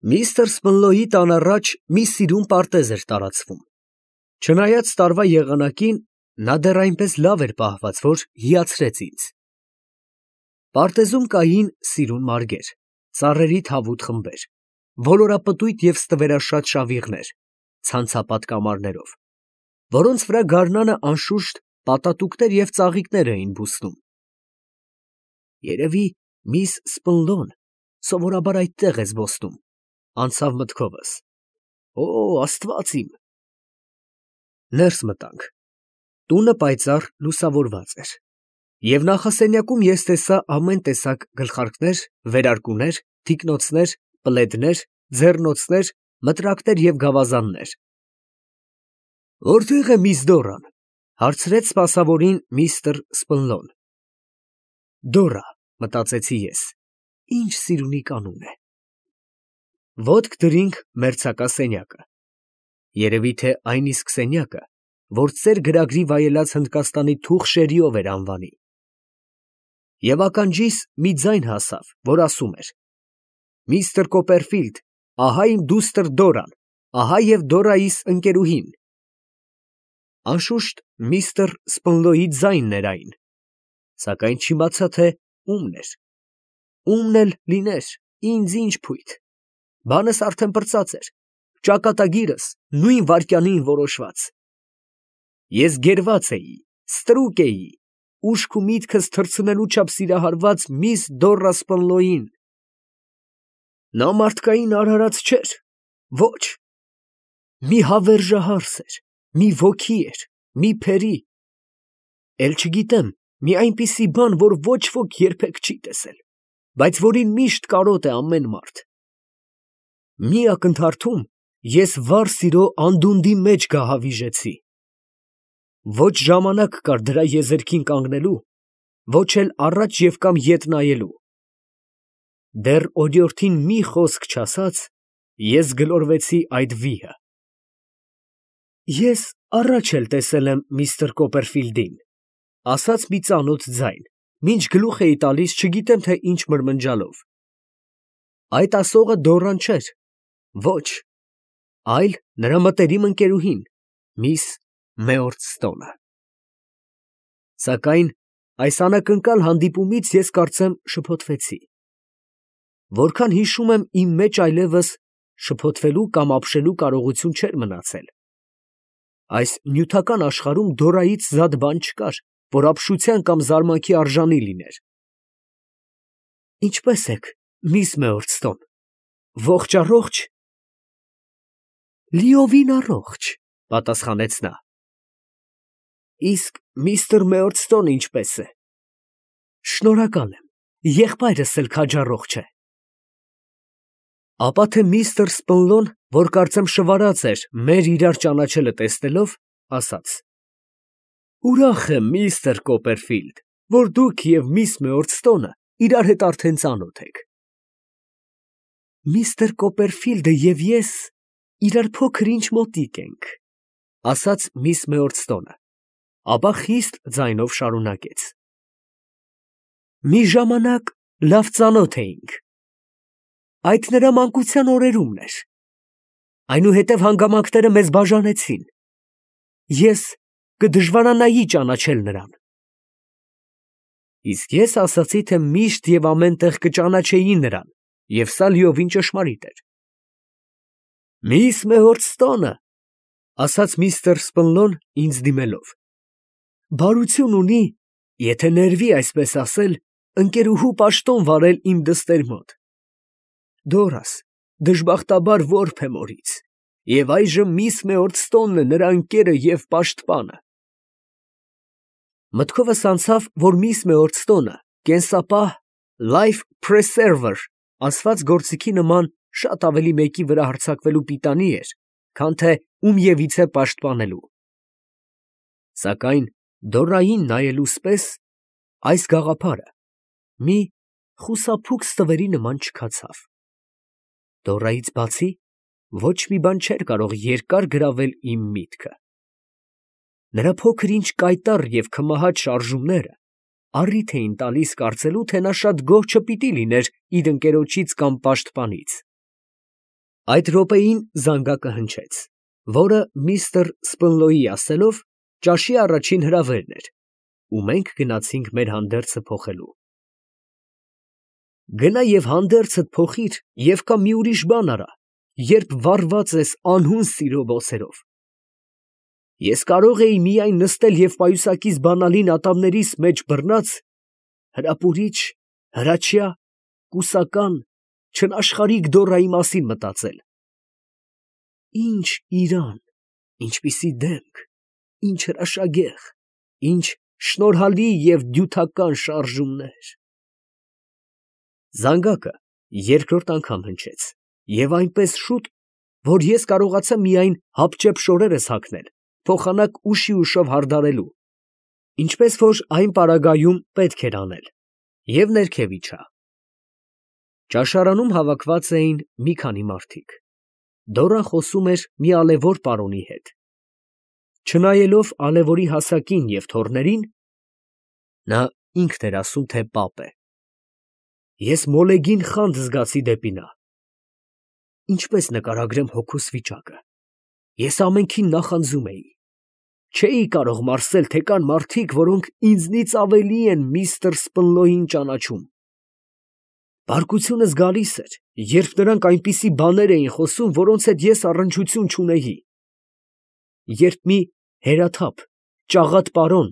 Միստր Սպնլոյի տան առաջ մի սիրուն պարտեզ էր տարածվում. չնայած տարվա եղանակին, նա դեռ այնպես լավ էր պահված, որ հիացրեց ինձ. պարտեզում կային սիրուն մարգեր, ծառերի թավուտ խմբեր, ոլորապտույտ և ստվերաշատ շավիղներ, ցանցապատ կամարներով, որոնց վրա գարնանը անշուշտ պատատուկներ և ծաղիկներ էին բուսնում։ Երևի միս Սպնլոն սովորաբար այդտեղ է զբոսնում, անցավ մտքովս. «Օ, Աստված իմ»։ Ներս մտանք։ Տունը պայծառ լուսավորված էր, և նախասենյակում ես տեսա ամեն տեսակ գլխարկներ, վերարկուներ, թիկնոցներ, պլեդներ, ձեռնոցներ, մտրակներ և գավազաններ։ «Որտե՞ղ է միս Դորան», հարցրեց սպասավորին միստր Սպնլոն։ Դորա, մտածեցի ես, ինչ սիրունիկ անուն է։ Ոտք դրինք մերձակա երևի թե այն իսկ սենյակը, որ ծեր գրագրի վայելած Հնդկաստանի թուխ շերիով էր անվանի։ Եվ ականջիս մի ձայն հասավ, որ ասում էր. «Միստր Կոպերֆիլդ, ահա իմ դուստր Դորան, ահա և Դորայիս ընկերուհին»։ Անշուշտ միստր Սպնլոյի ձայնն էր այն, սակայն չիմացա, թե ումն էր։ Ումն էլ լիներ, ինձ ինչ փույթ, բանս արդեն պրծած էր, ճակատագիրս նույն վայրկյանին որոշված։ Ես գերված էի, ստրուկ էի, ուշք ու միտքս թռցնելու չափ սիրահարված միս Դորա Սպնլոյին։ Նա մարդկային արարած չէր, ոչ, մի հավերժահարս էր, մի ոգի էր, մի փերի, էլ չգիտեմ, մի այնպիսի բան, որ ոչ ոք երբեք չի տեսել, բայց որին միշտ կարոտ է ամեն մարդ։ Մի ակնթարթում ես վառ սիրո անդունդի մեջ գահավիժեցի։ Ոչ ժամանակ կար դրա եզերքին կանգնելու, ոչ էլ առաջ և կամ ետ նայելու։ Դեռ օրիորդին մի խոսք չասած, ես գլորվեցի այդ վիհը։ Ես առաջ էլ տեսել եմ միստր Կոպերֆիլդին, ասաց մի ծանոթ ձայն, մինչ գլուխ էի տալիս չգիտեմ թե ինչ մրմնջալով։ Այդ ասողը Դորան չէր, ոչ, այլ նրա մտերիմ ընկերուհին, միս Մեործտոնը։ Սակայն այս անակնկալ հանդիպումից ես կարծեմ շփոթվեցի։ Որքան հիշում եմ իմ մեջ այլևս շփոթվելու կամ ապշելու կարողություն չէր մնացել։ Այս նյութական աշխարհում Դորայից զատ բան չկար, որ ապշության կամ զարմանքի արժանի լիներ։ Ինչպե՞ս եք, միս Մեործտոն, ողջ առողջ։ Լիովին առողջ, պատասխանեց նա։ Իսկ միստր Մեործտոնը ինչպե՞ս է։ Շնորհակալ եմ, եղբայրս էլ քաջառողջ է։ Ապա թե միստր Սպնլոն, որ կարծեմ շվարած էր մեր իրար ճանաչելը տեսնելով, ասաց. Ուրախ եմ, միստր Կոպերֆիլդ, որ դուք և միս Մեործտոնը իրար հետ արդեն ծանոթ եք։ Միստր Կոպերֆիլդը և ես իրար փոքր-ինչ մոտիկ ենք, ասաց միս Մեործտոնը, ապա խիստ ձայնով շարունակեց. Մի ժամանակ լավ ծանոթ էինք։ Այդ նրա մանկության օրերումն էր։ Այնուհետև հանգամանքները մեզ բաժանեցին։ Ես կդժվարանայի ճանաչել նրան։ Իսկ ես ասացի, թե միշտ և ամեն տեղ կճանաչեի նրան, և սա լիովին ճշմարիտ էր։ Միս Մեործտոնը, ասաց միստր Սպնլոն ինձ դիմելով, բարություն ունի, եթե ներվի այսպես ասել, ընկերուհու պաշտոն վարել իմ դստեր մոտ։ Դորաս դժբախտաբար որբ է մորից, և այժմ միս Մեործտոնն է նրա ընկերը և պաշտպանը։ Մտքովս անցավ, որ միս Մեործտոնը կենսապահ life preserver ասված գործիքի նման շատ ավելի մեկի վրա հարձակվելու պիտանի էր, քան թե ումևիցե պաշտպանելու։ Սակայն Դորային նայելուս պես այս գաղափարը մի խուսափուկ ստվերի նման չքացավ։ Դորայից բացի ոչ մի բան չէր կարող երկար գրավել իմ միտքը։ Նրա փոքր-ինչ կայտառ և քմահաճ շարժումները առիթ էին տալիս կարծելու, թե նա շատ գոհ չպիտի լիներ իր ընկերոջից կամ պաշտպանից։ Այդ րոպեին զանգակը հնչեց, որը միստր Սպնլոյի ասելով ճաշի առաջին հրավերն էր, ու մենք գնացինք մեր հանդերձը փոխելու։ Գնա և հանդերձդ փոխիր և կա մի ուրիշ բան արա, երբ վառված ես անհուն սիրո բոցերով։ Ես կարող էի միայն նստել և պայուսակիս բանալին ատամներիս մեջ բռնած, հրապուրիչ, հրաչյա, կուսական, չնաշխարհիկ Դորայի մասին մտածել. ինչ իրան, ինչպիսի դեմք, ինչ հրաշագեղ, ինչ շնորհալի և դյութական շարժումներ… Զանգակը երկրորդ անգամ հնչեց, և այնպես շուտ, որ ես կարողացա միայն հապճեպ շորերս հագնել, փոխանակ ուշի ուշով հարդարելու, ինչպես որ այն պարագայում պետք էր անել, և ներքև իջա։ Ճաշարանում հավաքված էին մի քանի մարդիկ. Դորան խոսում էր մի ալևոր պարոնի հետ։ Չնայելով ալևորի հասակին և թոռներին, նա ինքն էր ասում, թե պապ է։ Ես մոլեգին խանձ զգացի դեպի նա։ Ինչպես նկարագրեմ հոգուս վիճակը. ես ամենքին նախանձում էի։ Չէի կարող մարսել, թե կան մարդիկ, որոնք ինձնից ավելի են միստր Սպնլոյին ճանաչում։ Բարկությունս գալիս էր, երբ նրանք այնպիսի բաներ էին խոսում, որոնց հետ ես առնչություն չունեի։ Երբ մի հերաթափ, ճաղատ պարոն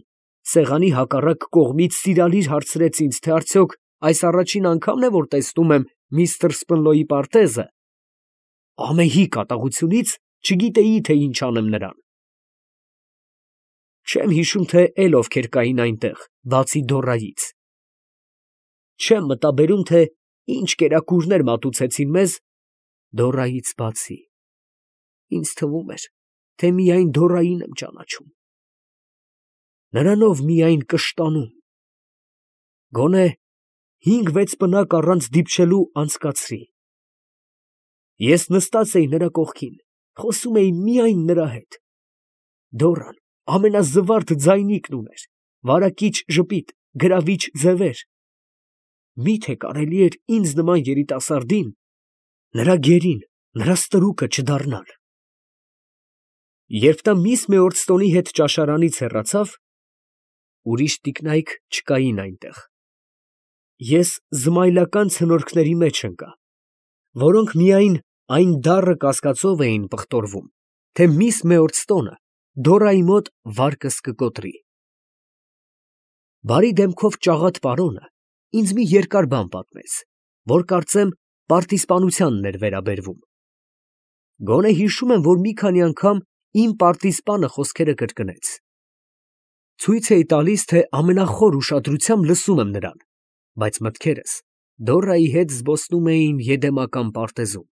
սեղանի հակառակ կողմից սիրալիր հարցրեց ինձ, թե արդյոք այս առաջին անգամն է, որ տեսնում եմ միստր Սպնլոյի պարտեզը, ամեհի կատաղությունից չգիտեի, թե ինչ անեմ նրան։ Չեմ հիշում, թե էլ ովքեր կային այնտեղ, բացի Դորայից։ Չեմ մտաբերում, թե ինչ կերակուրներ մատուցեցին մեզ Դորայից բացի։ Ինձ թվում էր, թե միայն Դորային եմ ճանաչում։ Նրանով միայն կշտանում։ Գոնե 5-6 պնակ առանց դիպչելու անցկացրի։ Ես նստած էի նրա կողքին, խոսում էի միայն նրա հետ։ Դորան ամենազվարթ ձայնիկն ուներ, վարակիչ ժպիտ, գրավիչ ձևեր։ Մի՞թե կարելի էր ինձ նման երիտասարդին, նրա գերին, նրա ստրուկը չդառնալ։ Երբ նա միս Մեորդստոնի հետ ճաշարանից հեռացավ, ուրիշ տիկնայք չկային այնտեղ։ Ես զմայլական ցնորքների մեջ ընկա, որոնք միայն այն դառը կասկածով էին պղտորվում, թե միս Մեորդստոնը Դորայի մոտ վարկս կկոտրի։ Բարի դեմքով ճաղատ պարոնը ինձ մի երկար բան պատմեց, որ կարծեմ պարտիզպանությանն էր վերաբերվում։ Գոնե հիշում եմ, որ մի քանի անգամ իմ պարտիզպանը խոսքերը կրկնեց։ Ցույց էի տալիս, թե ամենախոր ուշադրությամբ լսում եմ նրան, բայց մտքերս Դորայի հետ զբոսնում էին Եդեմական պարտեզում։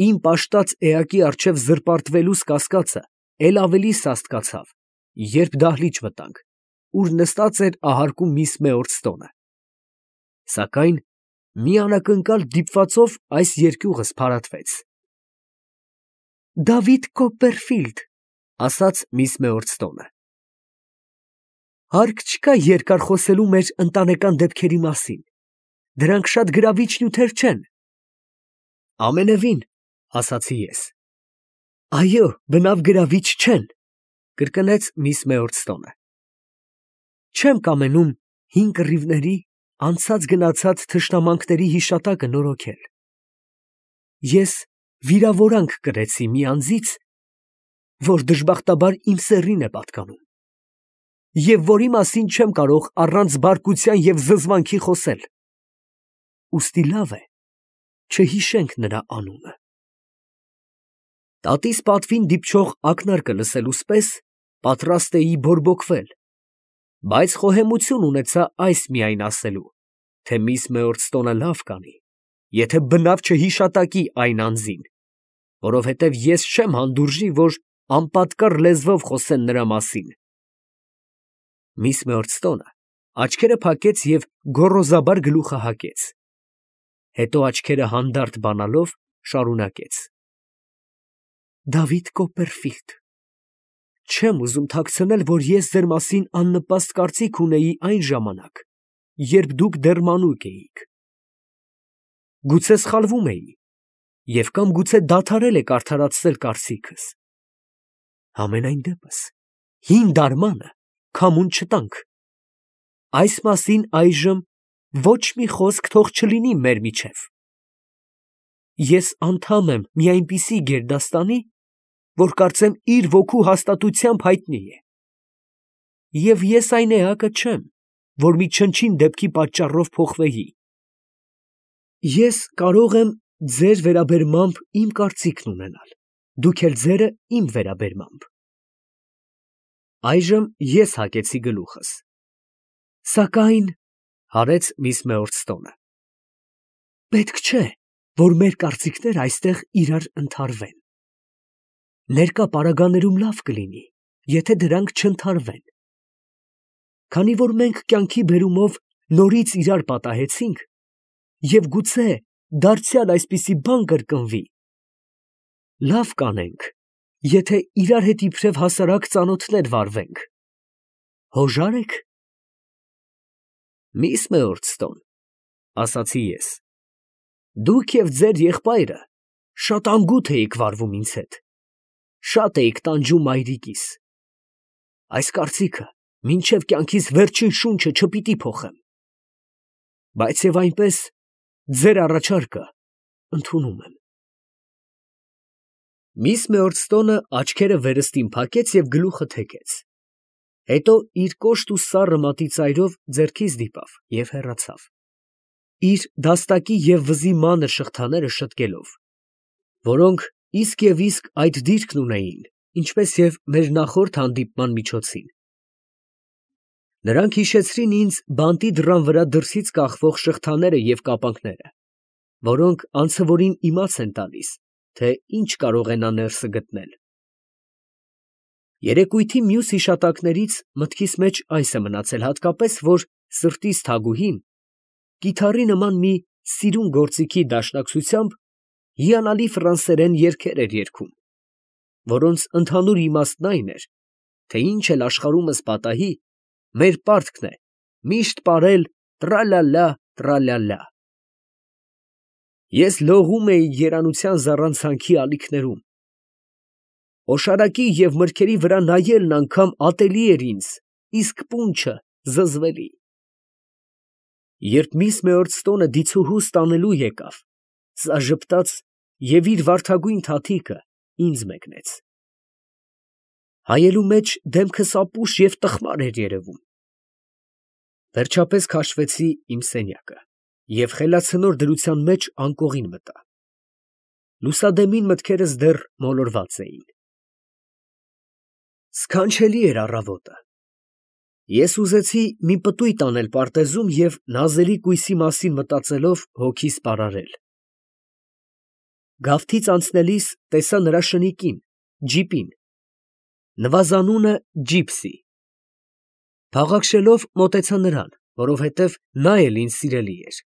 Իմ պաշտած էակի առջև զրպարտվելուս կասկածը էլ ավելի սաստկացավ, երբ դահլիճ մտանք, ուր նստած էր ահարկում միս Մեորդստոնը։ Սակայն մի անակնկալ դիպվածով այս երկյուղս փարատվեց։ «Դավիթ Կոպպերֆիլդ», ասաց միս Մեորդստոնը։ Հարկ չկա երկար խոսելու մեր ընտանեկան դեպքերի մասին, դրանք շատ գրավիչ նյութեր չեն։ Ամենևին, ասացի ես։ Այո, բնավ գրավիչ չեն, կրկնեց միս Մեորդստոնը։ Չեմ կամենում հին կռիվների, անցած գնացած թշնամանքների հիշատակը նորոգել։ Ես վիրավորանք կրեցի մի անձից, որ դժբախտաբար իմ սեռին է պատկանում, և որի մասին չեմ կարող առանց բարկության և զզվանքի խոսել։ Ուստի լավ է, չհիշենք նրա անունը։ Տատիս պատվին դիպչող ակնարկը լսելուց պես պատրաստ էի բորբոքվել, բայց խոհեմություն ունեցա այս միայն ասելու, թե միս Մեորդստոնը լավ կանի, եթե բնավ չհիշատակի այն անձին, որովհետև ես չեմ հանդուրժի, որ անպատկառ լեզվով խոսեն նրա մասին։ Միս Մեորդստոնը աչքերը փակեց և գոռոզաբար գլուխը հակեց, հետո աչքերը հանդարտ բանալով շարունակեց. Դավիթ Կոպպերֆիլդ, չեմ ուզում թաքցնել, որ ես ձեր մասին աննպաստ կարծիք ունեի այն ժամանակ, երբ դուք դեռ մանուկ էիք։ Գուցե սխալվում էի, և կամ գուցե դադարել եք արդարացնել կարծիքս։ Համենայն դեպս, հին դարմանը քամուն չտանք։ Այս մասին այժմ ոչ մի խոսք թող չլինի մեր միջև։ Ես անդամ եմ մի այնպիսի գերդաստանի, որ կարծեմ իր ոգու հաստատությամբ հայտնի է։ Եվ ես այն էակը չեմ, որ մի չնչին դեպքի պատճառով փոխվեի։ Ես կարող եմ ձեր վերաբերմամբ իմ կարծիքն ունենալ, դուք էլ ձերը իմ վերաբերմամբ։ Այժմ ես հագեցի գլուխս։ Սակայն, հարեց միս Մեորստոնը, պետք չէ, որ մեր կարծիքները այստեղ իրար ընդհարվեն։ Ներկա պարագաներում լավ կլինի, եթե դրանք չընդհարվեն։ Քանի որ մենք կյանքի բերումով նորից իրար պատահեցինք, և գուցե դարձյալ այսպիսի բան կրկնվի, լավ կանենք, եթե իրար հետ իբրև հասարակ ծանոթներ վարվենք։ Հոժա՞ր եք։ Միս Մեորստոն, ասացի ես, դուք և ձեր եղբայրը շատ անգութ էիք վարվում ինձ հետ, շատ էիք տանջում մայրիկիս։ Այս կարծիքը մինչև կյանքիս վերջին շունչը չպիտի փոխեմ։ Բայց և այնպես ձեր առաջարկը ընդունում եմ։ Միս Մեորստոնը աչքերը վերստին փակեց և գլուխը թեքեց։ Հետո իր կոշտ ու սառը մատի ծայրով ձեռքիս դիպավ և հեռացավ, իր դաստակի և վզի մանր շղթաները շտկելով, որոնք իսկ և իսկ այդ դիրքն ունեին, ինչպես և մեր նախորդ հանդիպման միջոցին։ Նրանք հիշեցրին ինձ բանտի դռան վրա դրսից կախվող շղթաները և կապանքները, որոնք անցևորին իմաց են տալիս, թե ինչ կարող է նա ներսը գտնել։ Երեկույթի մյուս հիշատակներից մտքիս մեջ այս է մնացել հատկապես, որ սրտիս թագուհին կիթառի նման մի սիրուն գործիքի դաշնակցությամբ հիանալի ֆրանսերեն երգեր էր երգում, որոնց ընդհանուր իմաստն այն էր, թե ինչ էլ աշխարհումս պատահի, մեր պարտքն է միշտ պարել տռա֊լա֊լա, տռա֊լա֊լա։ Ես լողում էի երանության զառանցանքի ալիքներում։ Օշարակի և մրգերի վրա նայելն անգամ ատելի էր ինձ, իսկ պունչը զզվելի։ Երբ միս Մեորստոնը դիցուհուս տանելու եկավ, սա ժպտաց և իր վարդագույն թաթիկը ինձ մեկնեց։ Հայելու մեջ դեմքս ապուշ և տխմար էր երևում։ Վերջապես քաշվեցի իմ սենյակը և խելացնոր դրության մեջ անկողին մտա։ Լուսադեմին մտքերս դեռ մոլորված էին։ Սքանչելի էր առավոտը։ Ես ուզեցի մի պտույտ անել պարտեզում և նազելի կույսի մասին մտածելով հոգիս պարարել։ Գավթից անցնելիս տեսա նրա շնիկին, ջիպին, նվազանունը Ջիպսի։ Փաղաքշելով մոտեցա նրան, որովհետև նա էլ ինձ սիրելի էր։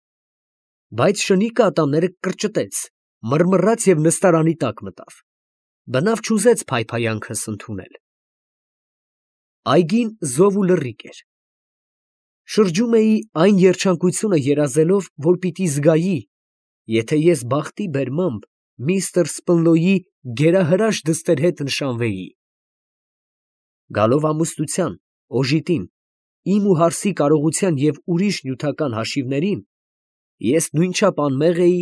Բայց շնիկը ատամները կրճտեց, մռմռաց և նստարանի տակ մտավ։ Բնավ չուզեց փայփայանքս ընդունել։ Այգին զով ու լռիկ էր։ Շրջում էի այն երջանկությունը երազելով, որ պիտի զգայի, եթե ես բախտի բերմամբ միստր Սպնլոյի գերահրաշ դստեր հետ նշանվեի։ Գալով ամուսնության, օժիտին, իմ ու Հարսի կարողության և ուրիշ նյութական հաշիվներին, ես նույնչափ անմեղ էի,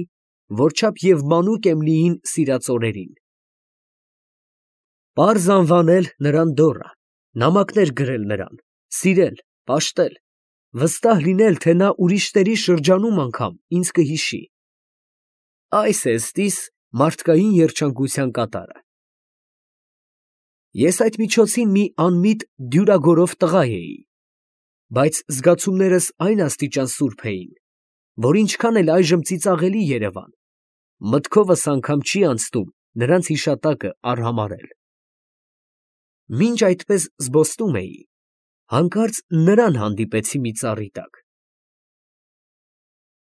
որչափ և մանուկ Էմլիին սիրած օրերին։ Պարզ անվանել նրան Դորա, նամակներ գրել նրան, սիրել, պաշտել, վստահ լինել, թե նա ուրիշների շրջանում անգամ ինձ կհիշի։ Այս է ըստիս մարդկային երջանկության կատարը։ Ես այդ միջոցին մի անմիտ դյուրագորով տղա էի, բայց զգացումներս այն աստիճան սուրբ էին, որ ինչքան էլ այժմ ծիծաղելի երևան, մտքովս անգամ չի անցնում նրանց հիշատակը արհամարհել։ Մինչ այդպես զբոսնում էի, հանկարծ նրան հանդիպեցի մի ծառի տակ։